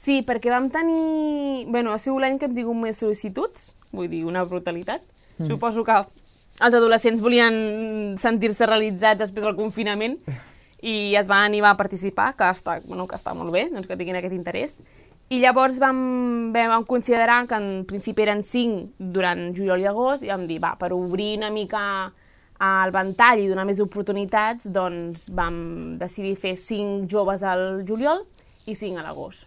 Sí, perquè vam tenir... Ha sigut l'any que hem tingut més sol·licituds, vull dir, una brutalitat. Suposo que els adolescents volien sentir-se realitzats després del confinament i es van animar a participar, que està molt bé, doncs que tinguin aquest interès. I llavors vam considerar que en principi eren 5 durant juliol i agost i vam dir, per obrir una mica el ventall i donar més oportunitats, doncs vam decidir fer 5 joves al juliol i 5 a l'agost.